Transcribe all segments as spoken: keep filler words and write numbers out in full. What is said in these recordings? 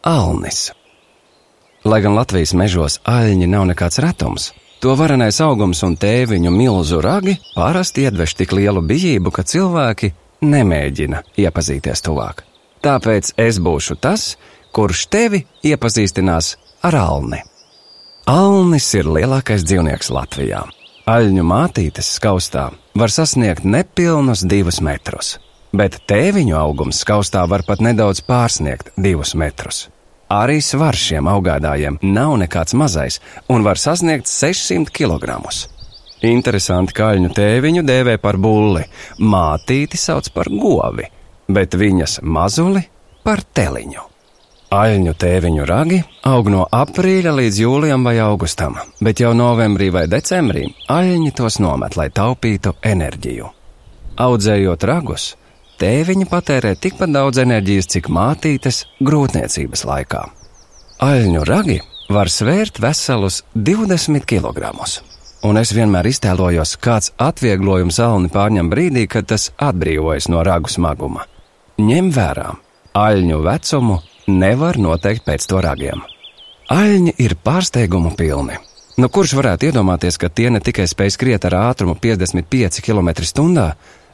Alnis. Lai gan Latvijas mežos aļņi nav nekāds retums, to varenais augums un tēviņu milzu ragi parasti iedveš tik lielu bijību, ka cilvēki nemēģina iepazīties tuvāk. Tāpēc es būšu tas, kurš tevi iepazīstinās ar alni. Alnis ir lielākais dzīvnieks Latvijā. Aļņu mātītes skaustā var sasniegt nepilnus divus metrus, bet tēviņu augums skaustā var pat nedaudz pārsniegt divus metrus. Arī svars šiem augādājiem nav nekāds mazais un var sasniegt sešsimt kilogramus. Interesanti, ka aļņu tēviņu dēvē par bulli, mātīti sauc par govi, bet viņas mazuli par teliņu. Aļņu tēviņu ragi aug no aprīļa līdz jūlijam vai augustam, bet jau novembrī vai decembrī aļņi tos nomet, lai taupītu enerģiju. Audzējot ragus, tēviņi patērē tikpat daudz enerģijas, cik mātītes grūtniecības laikā. Aļņu ragi var svērt veselus divdesmit kilogramus, un es vienmēr iztēlojos, kāds atvieglojums alni pārņem brīdī, kad tas atbrīvojas no ragu smaguma. Ņem vērā, aļņu vecumu nevar noteikt pēc to ragiem. Aļņi ir pārsteigumu pilni. Nu, kurš varētu iedomāties, ka tie ne tikai spēj skriet ar ātrumu piecdesmit pieci kilometri stundā,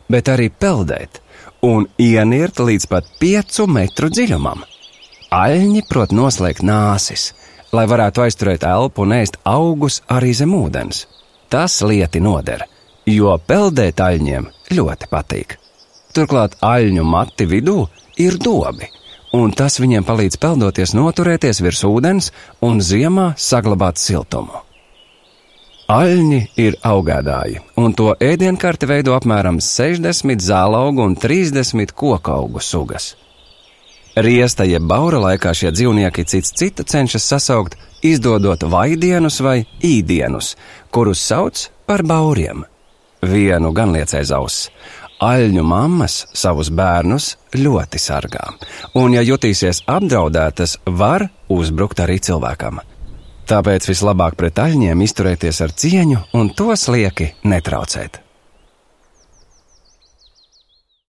bet arī peldēt un ienirt līdz pat piecu metru dziļumam. Aļņi prot noslēgt nāsis, lai varētu aizturēt elpu un ēst augus arī zem ūdens. Tas lieti noder, jo peldēt aļņiem ļoti patīk. Turklāt aļņu mati vidū ir dobi, un tas viņiem palīdz peldoties noturēties virs ūdens un ziemā saglabāt siltumu. Aļņi ir augādāji, un to ēdienkarti veido apmēram sešdesmit zālaugu un trīsdesmit kokaugu sugas. Riesta jeb baura laikā šie dzīvnieki cits citu cenšas sasaukt, izdodot vaidienus vai īdienus, kurus sauc par bauriem. Vienu gan liecēs auss. Aļņu mammas savus bērnus ļoti sargā, un ja jutīsies apdraudētas, var uzbrukt arī cilvēkam. Tāpēc vislabāk pret aļņiem izturēties ar cieņu un tos lieki netraucēt.